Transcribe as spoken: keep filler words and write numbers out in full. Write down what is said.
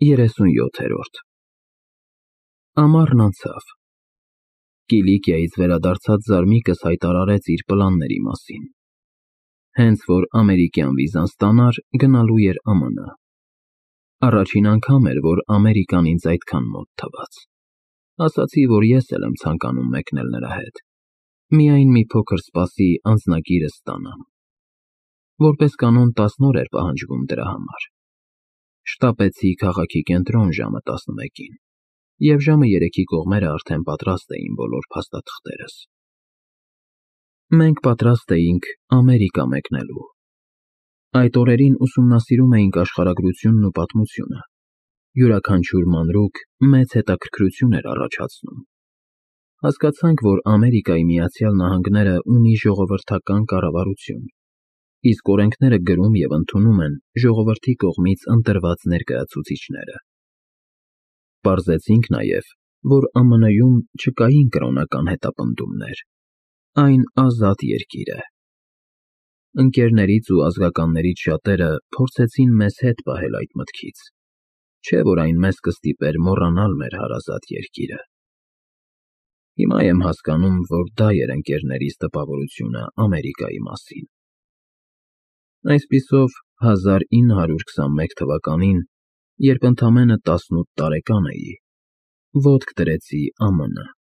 երեսունյոթերորդ Ամառն անցավ։ Կիլիկիայից վերադարձած Զարմիկս հայտարարեց իր պլանների մասին։ Հենց որ ամերիկյան վիզան ստանար, գնալու էր Ամերիկա։ Առաջին անգամ էր, որ Ամերիկան ինձ այդքան մոտ թվաց։ Ասացի, որ ես էլ եմ ցանկանում մեկնել նրա հետ, միայն մի փոքր սպասի անձնագիրս ստանամ։ Որպես կանոն տասն օր էր պահանջվում դրա համար։ Շտապեցի քաղաքի կենտրոն ժամը տասնմեկին, և ժամը երեքի կողմերը արդեն պատրաստ էին բոլոր փաստաթղթերս։ Մենք պատրաստ էինք Ամերիկա մեկնելու։ Այդ օրերին ուսումնասիրում էինք աշխարհագրությունն ու պատմությունը, յուրաքանչյուր մանրուք մեծ հետաքրքրություն էր առաջացնում։ Հասկացանք, որ Ամերիկայի Միացյալ Նահանգները ունի ժողովրդական կառավարություն, իսկ օրենքները գրում և ընդունում են ժողովրդի կողմից ընտրված ներկայացուցիչները։ Պարզեցինք նաև, որ Ամերիկայի Միացյալ Նահանգներում չկային կրոնական հետապնդումներ, այն ազատ երկիր է։ Ընկերներից ու ազգականներից շատերը փորձեցին մեզ հետ պահել այդ մտքից, չէ՞ որ այն մեզ կստիպեր մոռանալ մեր հարազատ երկիրը։ Հիմա եմ հասկանում, որ դա էր ընկերներիս տպավորությունը Ամերիկայի մասին։ Այսպիսով, հազար ինը հարյուր քսանմեկ թվականին, երբ ընդամենը տասնութ տարեկան էի, ոտք դրեցի Ամերիկա։